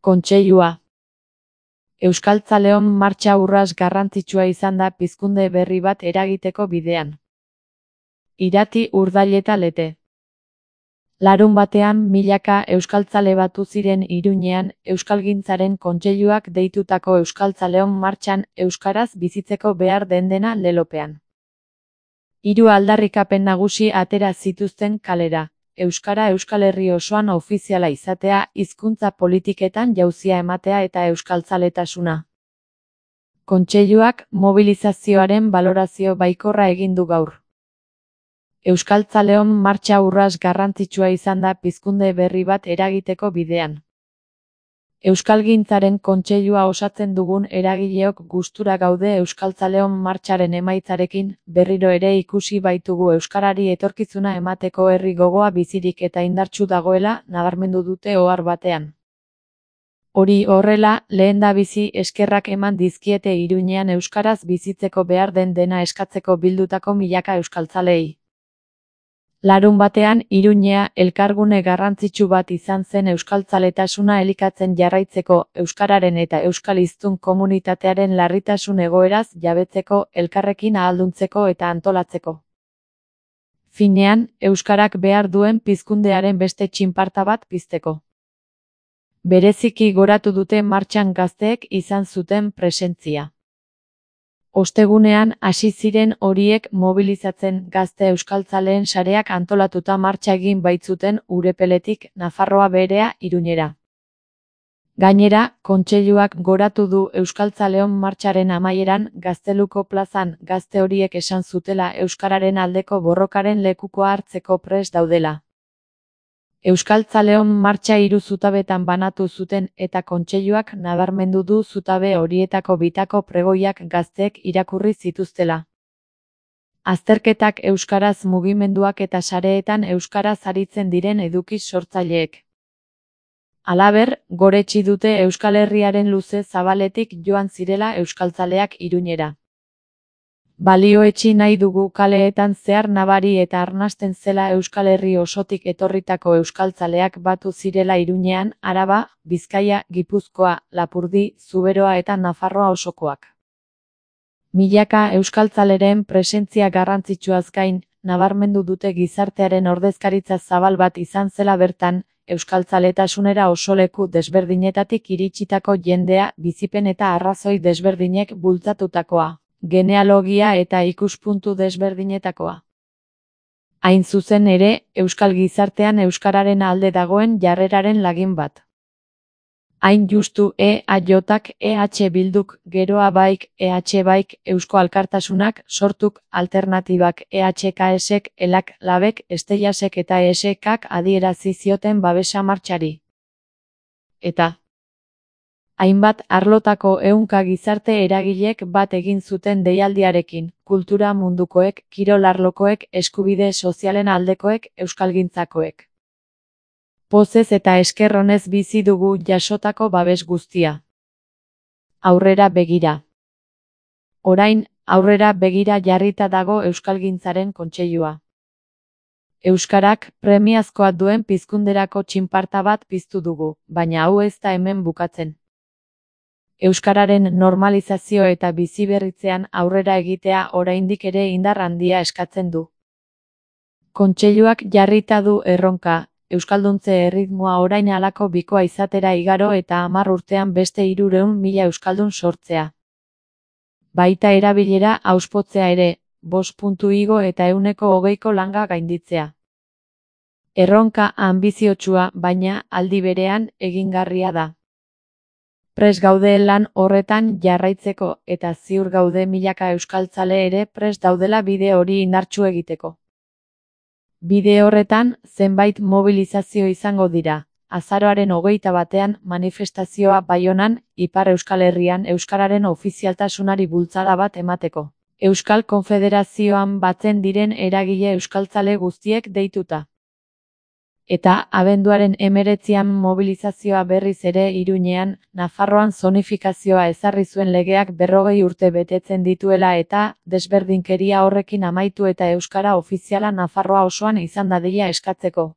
Kontseilua. Euskaltzaleon martxa urrats garrantzitsua izan da pizkunde berri bat eragiteko bidean. Irati, Urdail eta Lete. Larunbatean milaka euskaltzale batu ziren Iruñean Euskalgintzaren Kontseiluak deitutako Euskaltzaleon martxan euskaraz bizitzeko behar den dena lelopean. 3 aldarrikapen nagusi atera zituzten kalera. Euskara Euskal Herri osoan ofiziala izatea, hizkuntza politiketan jauzia ematea eta euskaltzaletasuna. Kontseiluak mobilizazioaren balorazio baikorra egin du gaur. Euskaltzaleon martxa urrats garrantzitsua izan da pizkunde berri bat eragiteko bidean. Euskalgintzaren Kontseilua osatzen dugun eragileok gustura gaude Euskaltzaleon martxaren emaitzarekin, berriro ere ikusi baitugu euskarari etorkizuna emateko herri gogoa bizirik eta indartsu dagoela, nabarmendu dute ohar batean. Hori horrela, lehendabizi eskerrak eman dizkiete Iruñean euskaraz bizitzeko behar den dena eskatzeko bildutako milaka euskaltzaleei. Larunbatean Iruñea elkargune garrantzitsu bat izan zen euskaltzaletasuna elikatzen jarraitzeko, euskararen eta euskal hiztun komunitatearen larritasun egoeraz jabetzeko, elkarrekin ahalduntzeko eta antolatzeko. Finean, euskarak behar duen pizkundearen beste txinparta bat pizteko. Bereziki goratu dute martxan gazteek izan zuten presentzia. Ostegunean hasi ziren horiek mobilizatzen gazte euskaltzaleen sareak antolatuta martxa egin baitzuten Urepeletik Nafarroa Beherea Iruñera. Gainera, Kontseiluak goratu du Euskaltzaleon martxaren amaieran Gazteluko plazan gazte horiek esan zutela euskararen aldeko borrokaren lekukoa hartzeko prest daudela. Euskaltzaleon martxa 3 zutabetan banatu zuten eta Kontseiluak nabarmendu du zutabe horietako bitako pregoiak gazteek irakurri zituztela. Azterketak euskaraz mugimenduak eta sareetan euskaraz aritzen diren eduki sortzaileek. Halaber, goretsi dute Euskal Herriaren luze zabaletik joan zirela euskaltzaleak Iruñera. Balioetsi nahi dugu kaleetan zehar nabari eta arnasten zela Euskal Herri osotik etorritako euskaltzaleak batu zirela Iruñean, Araba, Bizkaia, Gipuzkoa, Lapurdi, Zuberoa eta Nafarroa osokoak. Milaka euskaltzaleren presentzia garrantzitsuaz gain, nabarmendu dute gizartearen ordezkaritza zabal bat izan zela bertan, euskaltzaletasunera oso leku desberdinetatik iritsitako jendea, bizipen eta arrazoi desberdinek bultzatutakoa. Genealogia eta ikuspuntu desberdinetakoa. Hain zuzen ere, euskal gizartean euskararen alde dagoen jarreraren lagin bat. Hain justu EAJak, EH Bilduk, Geroa Baik, EH Baik, Eusko Alkartasunak, Sortuk, Alternatibak, EHKSek, Elak, Labek, Esteiasek eta ESKak adierazi zioten babesa martxari. Eta hainbat arlotako ehunka gizarte eragilek bat egin zuten deialdiarekin, kultura mundukoek, kirol arlokoek, eskubide sozialen aldekoek, euskalgintzakoek. Pozez eta esker onez bizi dugu jasotako babes guztia. Aurrera begira. Orain, aurrera begira jarrita dago Euskalgintzaren Kontseilua. Euskarak premiazkoa duen pizkunderako txinparta bat piztu dugu, baina hau ez da hemen bukatzen. Euskararen normalizazio eta biziberritzean aurrera egitea oraindik ere indar handia eskatzen du. Kontseiluak jarrita du erronka, euskalduntze erritmoa orain halako bikoa izatera igaro eta 10 urtean beste 300.000 euskaldun sortzea. Baita erabilera auspotzea ere, 5 igo eta 120ko langa gainditzea. Erronka anbiziotsua, baina aldi berean egingarria da. Prest gaude lan horretan jarraitzeko eta ziur gaude milaka euskaltzale ere prest daudela bide hori indartsu egiteko. Bide horretan, zenbait mobilizazio izango dira. Azaroaren 21ean manifestazioa Baionan, Ipar Euskal Herrian euskararen ofizialtasunari bultzada bat emateko. Euskal Konfederazioan batzen diren eragile euskaltzale guztiek deituta. Eta abenduaren 19ean mobilizazioa berriz ere Iruñean, Nafarroan zonifikazioa ezarri zuen legeak 40 urte betetzen dituela eta desberdinkeria horrekin amaitu eta euskara ofiziala Nafarroa osoan izan dadila eskatzeko.